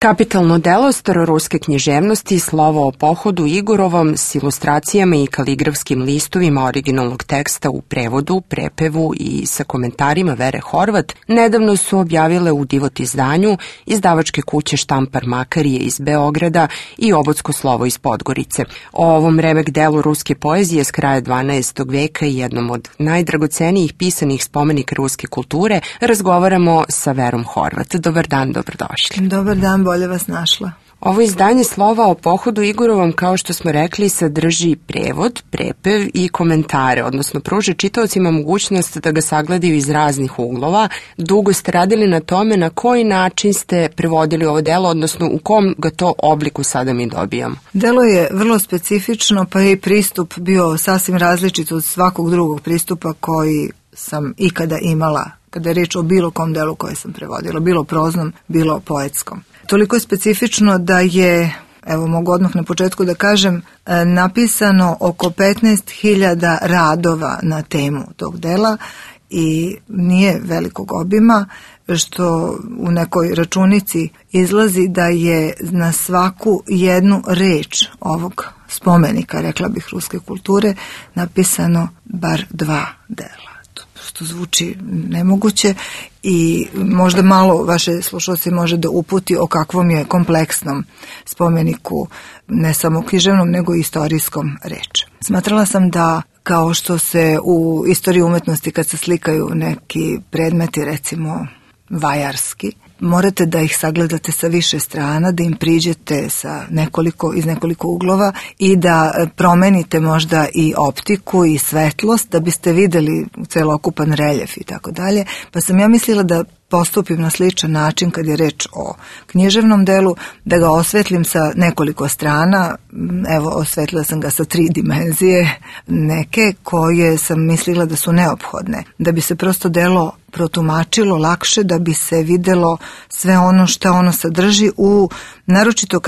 Kapitalno delo staroruske književnosti Slovo o pohodu Igorovom s ilustracijama i kaligrafskim listovima originalnog teksta u prevodu, prepevu i sa komentarima Vere Horvat nedavno su objavile u Divot izdanju izdavačke kuće Štampar Makarije iz Beograda i Obodsko slovo iz Podgorice. O ovom remek delu ruske poezije s kraja 12. veka i jednom od najdragocenijih pisanih spomenika ruske kulture razgovaramo sa Verom Horvat. Dobar dan, dobrodošli. Dobar dan, bolje vas našla. Ovo izdanje Slova o pohodu Igorovom, kao što smo rekli, sadrži prevod, prepev i komentare, odnosno pruža čitaocima mogućnost da ga sagledaju iz raznih uglova. Dugo ste radili na tome na koji način ste prevodili ovo delo, odnosno u kom ga to obliku sada mi dobijamo. Delo je vrlo specifično, pa je i pristup bio sasvim različit od svakog drugog pristupa koji sam ikada imala, kada je reč o bilo kom delu koje sam prevodila, bilo proznom, bilo poetskom. Toliko je specifično da je, evo mogu odmah na početku da kažem, napisano oko 15.000 radova na temu tog dela i nije velikog obima, što u nekoj računici izlazi da je na svaku jednu reč ovog spomenika, rekla bih, ruske kulture, napisano bar 2 dela. Što zvuči nemoguće i možda malo vaše slušalci može da uputi o kakvom je kompleksnom spomeniku, ne samo književnom, nego i istorijskom reč. Smatrala sam da kao što se u istoriji umetnosti kad se slikaju neki predmeti, recimo vajarski, morate da ih sagledate sa više strana, da im priđete sa iz nekoliko uglova i da promenite možda i optiku i svetlost da biste videli celokupan reljef i tako dalje. Pa sam ja mislila da postupim na sličan način kad je reč o književnom delu, da ga osvetlim sa nekoliko strana. Evo, osvetlila sam ga sa 3 dimenzije, neke koje sam mislila da su neophodne, da bi se prosto delo protumačilo lakše, da bi se videlo sve ono što ono sadrži, naročito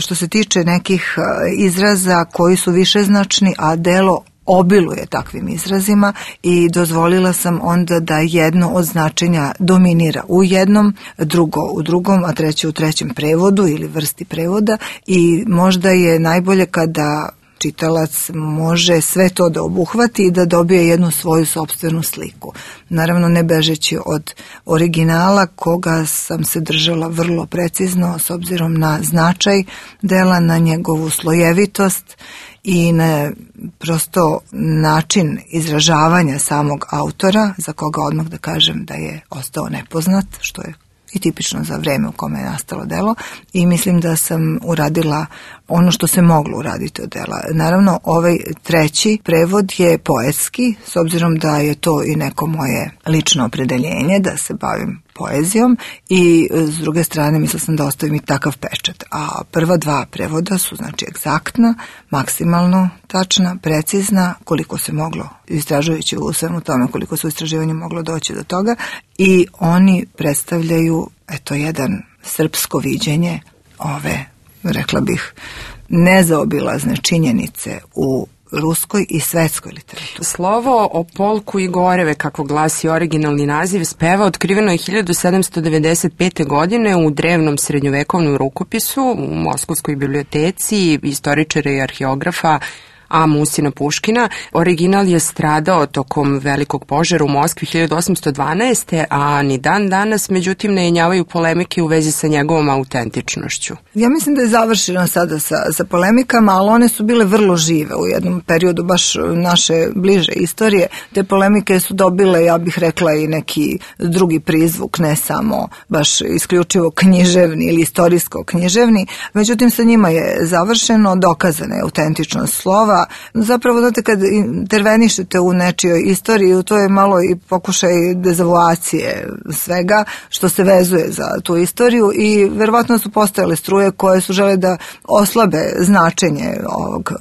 što se tiče nekih izraza koji su višeznačni, a delo obiluje takvim izrazima, i dozvolila sam onda da jedno od značenja dominira u jednom, drugo u drugom, a treće u trećem prevodu ili vrsti prevoda, i možda je najbolje kada čitalac može sve to da obuhvati i da dobije jednu svoju sopstvenu sliku. Naravno, ne bežeći od originala, koga sam se držala vrlo precizno s obzirom na značaj dela, na njegovu slojevitost i na prosto način izražavanja samog autora, za koga odmah da kažem da je ostao nepoznat, što je i tipično za vreme u kome je nastalo delo, i mislim da sam uradila ono što se moglo uraditi od dela. Naravno, ovaj 3. prevod je poetski, s obzirom da je to i neko moje lično opredeljenje, da se bavim poezijom, i s druge strane mislila sam da ostavim i takav pečat. A prva 2 prevoda su znači egzaktna, maksimalno tačna, precizna, koliko se moglo, istražujući u svemu tome koliko su istraživanja moglo doći do toga, i oni predstavljaju jedan srpsko viđenje ove, rekla bih, nezaobilazne činjenice u ruskoj i svetskoj literaturi. Slovo o polku Igoreve, kako glasi originalni naziv speva, otkriveno je 1795. godine u drevnom srednjovekovnom rukopisu u Moskovskoj biblioteci istoričara i arheografa A. Musina Puškina. Original je stradao tokom velikog požara u Moskvi 1812. a ni dan danas, međutim, ne jenjavaju polemike u vezi sa njegovom autentičnošću. Ja mislim da je završeno sada sa polemikama, ali one su bile vrlo žive u jednom periodu baš naše bliže istorije. Te polemike su dobile, ja bih rekla, i neki drugi prizvuk, ne samo baš isključivo književni ili istorijsko književni. Međutim, sa njima je završeno, dokazana je autentičnost slova. Zapravo, znate, kad intervenišete u nečijoj istoriji, to je malo i pokušaj dezavuacije svega što se vezuje za tu istoriju, i verovatno su postojale struje koje su žele da oslabe značenje ovog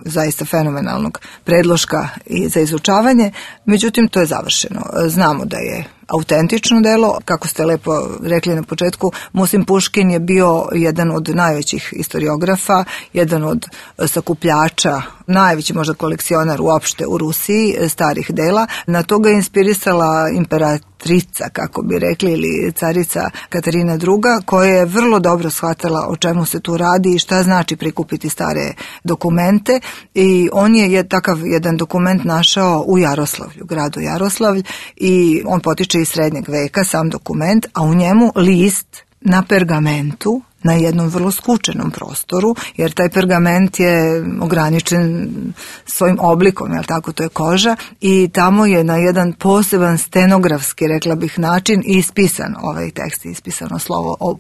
zaista fenomenalnog predloška i za izučavanje. Međutim, to je završeno. Znamo da je autentično delo. Kako ste lepo rekli na početku, Musim Puškin je bio jedan od najvećih historiografa, jedan od sakupljača, najveći možda kolekcionar uopšte u Rusiji starih dela. Na to ga je inspirisala imperatrica, kako bi rekli, ili carica Katarina II, koja je vrlo dobro shvatala o čemu se tu radi i šta znači prikupiti stare dokumente, i on je takav jedan dokument našao u Jaroslavlju, gradu Jaroslavlj, i on potiče iz srednjeg veka, sam dokument, a u njemu list na pergamentu, na jednom vrlo skučenom prostoru, jer taj pergament je ograničen svojim oblikom, jel tako, to je koža, i tamo je na jedan poseban stenografski, rekla bih, način ispisan ovaj tekst, ispisano slovo o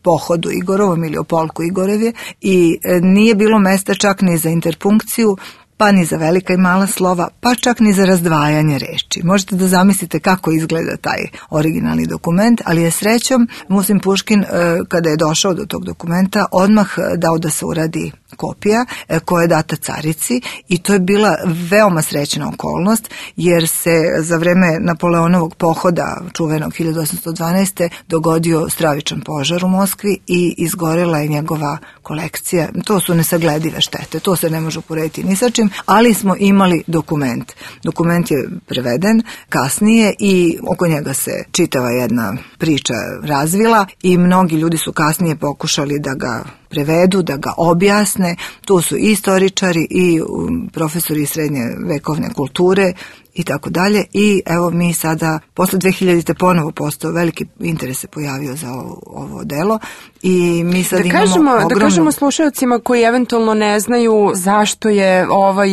pohodu Igorovom ili o polku Igorevje, i nije bilo mesta čak ni za interpunkciju, pa ni za velika i mala slova, pa čak ni za razdvajanje reči. Možete da zamislite kako izgleda taj originalni dokument, ali je srećom Musim Puškin, kada je došao do tog dokumenta, odmah dao da se uradi kopija koja je data carici, i to je bila veoma srećna okolnost, jer se za vreme Napoleonovog pohoda, čuvenog 1812. dogodio stravičan požar u Moskvi i izgorela je njegova kolekcija. To su nesagledive štete, to se ne može uporediti ni sa čim, ali smo imali dokument. Dokument je preveden kasnije i oko njega se čitava jedna priča razvila i mnogi ljudi su kasnije pokušali da ga prevedu, da ga objasne. Tu su i istoričari i profesori srednje vekovne kulture i tako dalje. I evo mi sada, posle 2000. ponovo postao veliki interes se pojavio za ovo delo i mi sad Da kažemo slušalcima koji eventualno ne znaju zašto je ovaj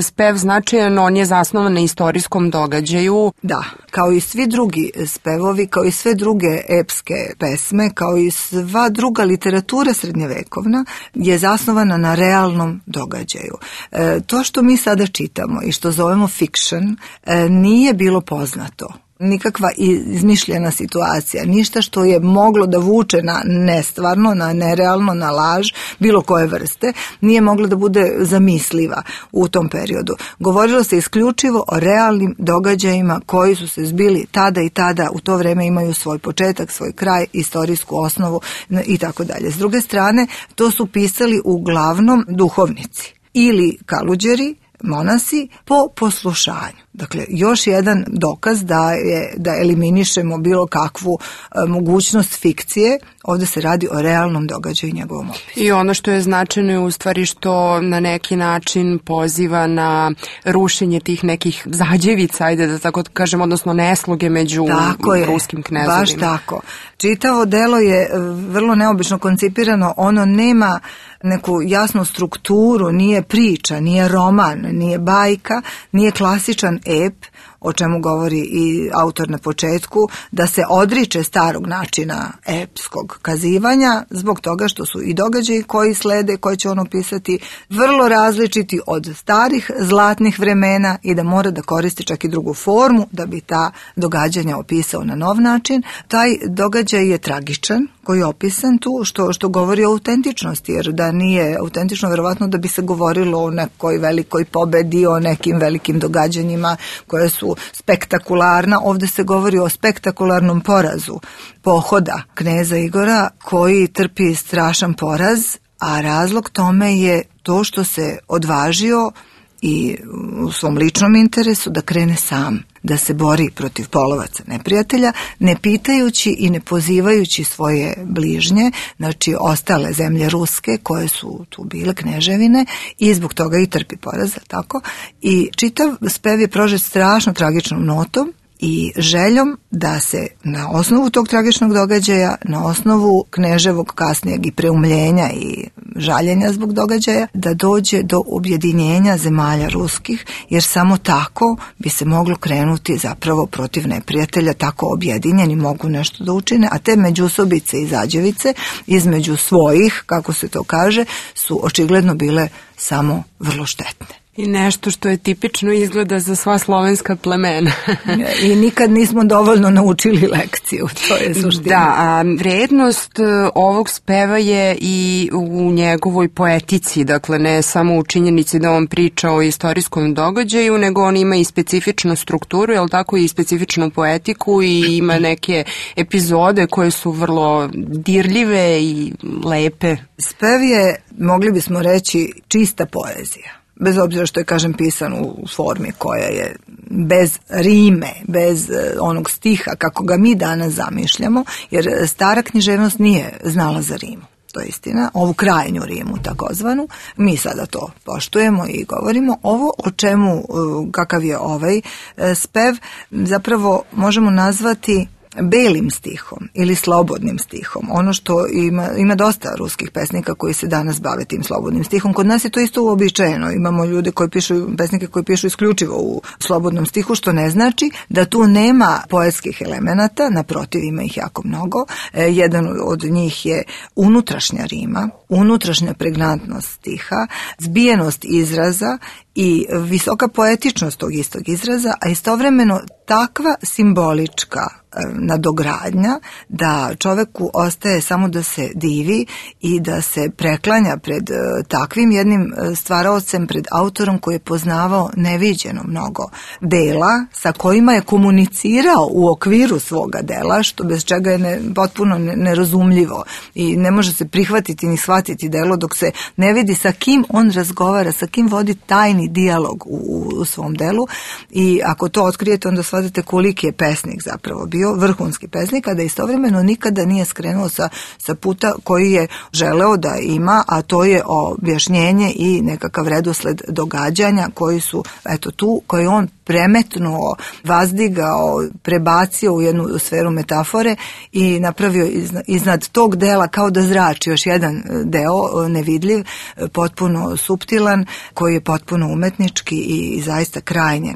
spev značajan, on je zasnovan na istorijskom događaju. Da, kao i svi drugi spevovi, kao i sve druge epske pesme, kao i sva druga literatura srednjevekovna je zasnovana na realnom događaju. To što mi sada čitamo i što zovemo fiction nije bilo poznato. Nikakva izmišljena situacija, ništa što je moglo da vuče na nestvarno, na nerealno, na laž, bilo koje vrste, nije moglo da bude zamisliva u tom periodu. Govorilo se isključivo o realnim događajima koji su se zbili tada i tada, u to vreme imaju svoj početak, svoj kraj, istorijsku osnovu i tako dalje. S druge strane, to su pisali uglavnom duhovnici ili kaluđeri, monasi, po poslušanju. Dakle, još jedan dokaz da eliminišemo bilo kakvu mogućnost fikcije. Ovdje se radi o realnom događaju i njegovom opisu. I ono što je značajno je u stvari što na neki način poziva na rušenje tih nekih zađevica, ajde da tako kažem, odnosno nesloge među ruskim knezovima. Baš tako. Čitavo delo je vrlo neobično koncipirano, ono nema neku jasnu strukturu, nije priča, nije roman, nije bajka, nije klasičan ep, o čemu govori i autor na početku, da se odriče starog načina epskog kazivanja zbog toga što su i događaji koji slede, koje će on opisati, vrlo različiti od starih zlatnih vremena i da mora da koristi čak i drugu formu da bi ta događanja opisao na nov način. Taj događaj je tragičan koji je opisan tu, što govori o autentičnosti, jer da nije autentično, verovatno da bi se govorilo o nekoj velikoj pobedi, o nekim velikim događanjima koje su spektakularna. Ovdje se govori o spektakularnom porazu pohoda kneza Igora koji trpi strašan poraz, a razlog tome je to što se odvažio i u svom ličnom interesu da krene sam, da se bori protiv polovaca neprijatelja, ne pitajući i ne pozivajući svoje bližnje, znači ostale zemlje ruske koje su tu bile kneževine, i zbog toga i trpi poraz, tako. I čitav spev je prožet strašno tragičnom notom i željom da se na osnovu tog tragičnog događaja, na osnovu kneževog kasnijeg i preumljenja i žaljenja zbog događaja, da dođe do objedinjenja zemalja ruskih, jer samo tako bi se moglo krenuti zapravo protiv neprijatelja, tako objedinjeni mogu nešto da učine, a te međusobice i zađevice između svojih, kako se to kaže, su očigledno bile samo vrlo štetne. I nešto što je tipično izgleda za sva slovenska plemena. I nikad nismo dovoljno naučili lekciju, to je suština. Da, a vrednost ovog speva je i u njegovoj poetici, dakle ne samo u činjenici da on priča o istorijskom događaju, nego on ima i specifičnu strukturu, jel tako, i specifičnu poetiku i ima neke epizode koje su vrlo dirljive i lepe. Spev je, mogli bismo reći, čista poezija. Bez obzira što je, kažem, pisan u formi koja je bez rime, bez onog stiha kako ga mi danas zamišljamo, jer stara književnost nije znala za rimu. To je istina, ovu krajnju rimu takozvanu, mi sada to poštujemo i govorimo. Ovo o čemu, kakav je ovaj spev, zapravo možemo nazvati belim stihom ili slobodnim stihom. Ono što ima dosta ruskih pesnika koji se danas bave tim slobodnim stihom. Kod nas je to isto uobičajeno. Imamo ljude koji pišu, pesnike koji pišu isključivo u slobodnom stihu, što ne znači da tu nema poetskih elemenata, naprotiv, ima ih jako mnogo. Jedan od njih je unutrašnja rima, unutrašnja pregnantnost stiha, zbijenost izraza i visoka poetičnost tog istog izraza, a istovremeno takva simbolička nadogradnja da čoveku ostaje samo da se divi i da se preklanja pred takvim jednim stvaraocem, pred autorom koji je poznavao neviđeno mnogo dela sa kojima je komunicirao u okviru svoga dela, što bez čega je potpuno nerazumljivo i ne može se prihvatiti ni shvatiti delo dok se ne vidi sa kim on razgovara, sa kim vodi tajni dijalog u svom delu. I ako to otkrijete, onda shvatite koliki je pesnik zapravo bio, vrhunski pesnik, a da istovremeno nikada nije skrenuo sa puta koji je želeo da ima, a to je objašnjenje i nekakav redosled događanja koji su, eto tu, koji on premetnuo, vazdigao, prebacio u jednu sferu metafore i napravio iznad tog dela kao da zrači još jedan deo nevidljiv, potpuno suptilan, koji je potpuno umetnički i zaista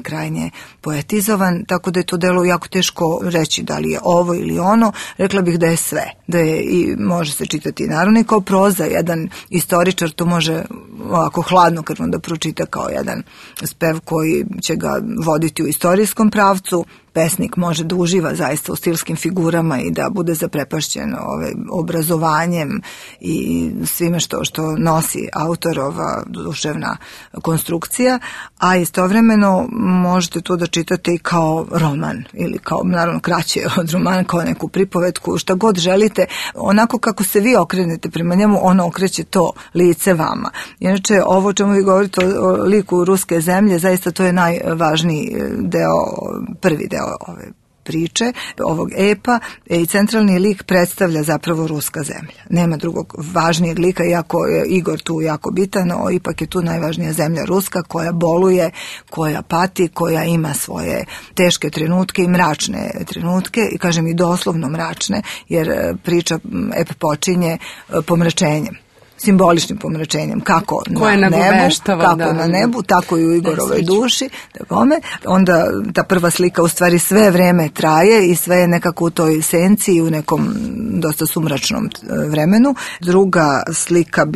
krajnje poetizovan, tako da je to delo jako teško reći da li je ovo ili ono. Rekla bih da je sve, da je i može se čitati naravno i kao proza, jedan istoričar to može ovako hladnokrvno da pročita kao jedan spev koji će ga voditi u istorijskom pravcu. Pesnik može da uživa zaista u stilskim figurama i da bude zaprepašćen obrazovanjem i svime što nosi autorova duševna konstrukcija, a istovremeno možete to da čitate i kao roman ili kao, naravno, kraće od romana, kao neku pripovetku, šta god želite, onako kako se vi okrenete prema njemu, ono okreće to lice vama. Inače, ovo čemu vi govorite o liku ruske zemlje, zaista to je najvažniji deo, prvi deo ove priče, ovog epa, i centralni lik predstavlja zapravo ruska zemlja. Nema drugog važnijeg lika, iako je Igor tu jako bitan, no ipak je tu najvažnija zemlja ruska koja boluje, koja pati, koja ima svoje teške trenutke i mračne trenutke, i kažem i doslovno mračne, jer priča ep počinje pomračenjem, simboličnim pomračenjem, kako na nebu, tako i u Igorovoj duši. Onda ta prva slika u stvari sve vreme traje i sve je nekako u toj senci i u nekom dosta sumračnom vremenu. Druga slika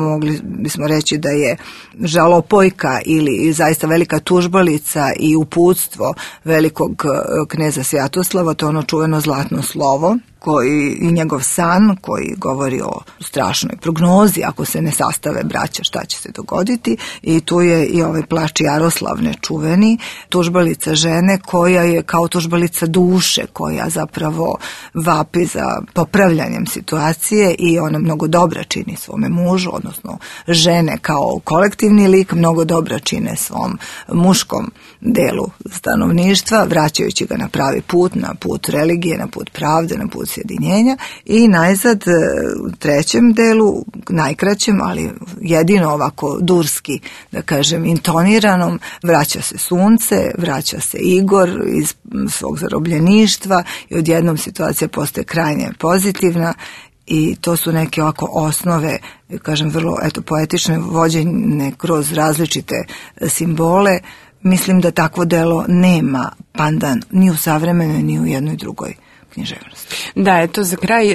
mogli bismo reći da je žalopojka ili zaista velika tužbalica i uputstvo velikog kneza Svjatoslava, to je ono čuveno zlatno slovo, i njegov san koji govori o strašnoj prognozi, ako se ne sastave braća šta će se dogoditi, i tu je i ovaj plač Jaroslavne čuveni, tužbalica žene koja je kao tužbalica duše, koja zapravo vapi za popravljanjem situacije i ona mnogo dobra čini svome mužu, odnosno žene kao kolektivni lik mnogo dobra čine svom muškom delu stanovništva, vraćajući ga na pravi put, na put religije, na put pravde, na put sjedinjenja. I najzad u trećem delu, najkraćem, ali jedino ovako durski, da kažem, intoniranom, vraća se sunce, vraća se Igor iz svog zarobljeništva i odjednom situacija postaje krajnje pozitivna. I to su neke ovako osnove, kažem, vrlo poetične, vođene kroz različite simbole. Mislim da takvo delo nema pandan ni u savremenoj, ni u jednoj drugoj književnosti. Da, eto za kraj,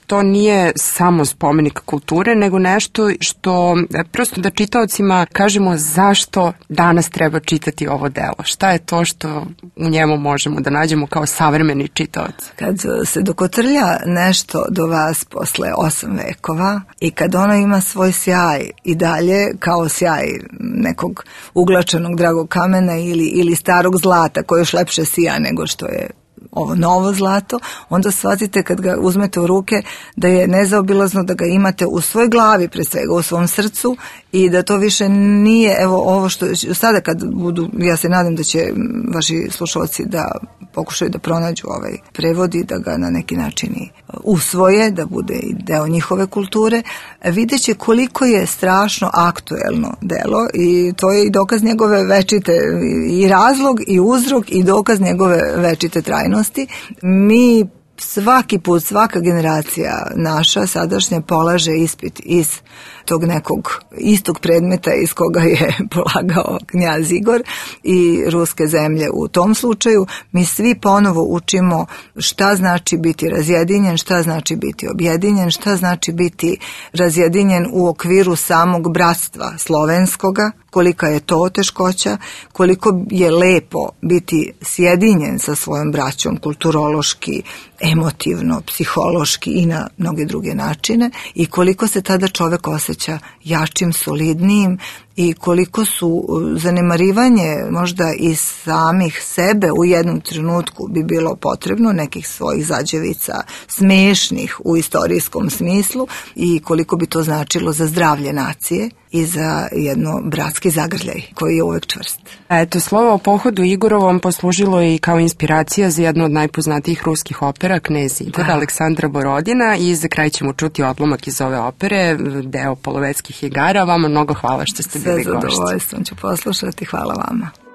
to nije samo spomenik kulture, nego nešto što prosto da čitaocima kažemo zašto danas treba čitati ovo delo. Šta je to što u njemu možemo da nađemo kao savremeni čitaoc? Kad se dokotrlja nešto do vas posle 8 vekova i kad ono ima svoj sjaj i dalje kao sjaj nekog uglačenog dragog kamena ili starog zlata koje još lepše sija nego što je ovo novo zlato, onda shvatite kad ga uzmete u ruke da je nezaobilazno da ga imate u svojoj glavi, pre svega u svom srcu, i da to više nije, evo ovo što sada kad budu, ja se nadam da će vaši slušalci da pokušaju da pronađu ovaj prevod i da ga na neki način i usvoje, da bude i deo njihove kulture, vidjet će koliko je strašno aktuelno delo i to je i dokaz njegove večite, i razlog i uzrok i dokaz njegove večite trajnosti. Mi svaki put, svaka generacija naša sadašnja polaže ispit iz tog nekog istog predmeta iz koga je polagao knjaz Igor i ruske zemlje u tom slučaju. Mi svi ponovo učimo šta znači biti razjedinjen, šta znači biti objedinjen, šta znači biti razjedinjen u okviru samog bratstva slovenskoga, kolika je to teškoća, koliko je lepo biti sjedinjen sa svojom braćom kulturološki, emotivno, psihološki i na mnoge druge načine i koliko se tada čovek osjeća jačim, solidnijim i koliko su zanemarivanje možda i samih sebe u jednom trenutku bi bilo potrebno, nekih svojih zađevica smešnih u istorijskom smislu i koliko bi to značilo za zdravlje nacije i za jedno bratski zagrljaj koji je uvek čvrst. Eto, slovo o pohodu Igorovom poslužilo je i kao inspiracija za jednu od najpoznatijih ruskih opera, Knez Igor, Aleksandra Borodina, i za kraj ćemo čuti odlomak iz ove opere, deo Polovetskih igara. Vama mnogo hvala što ste bili gošći. Sve zadovoljstvom ću poslušati, hvala vama.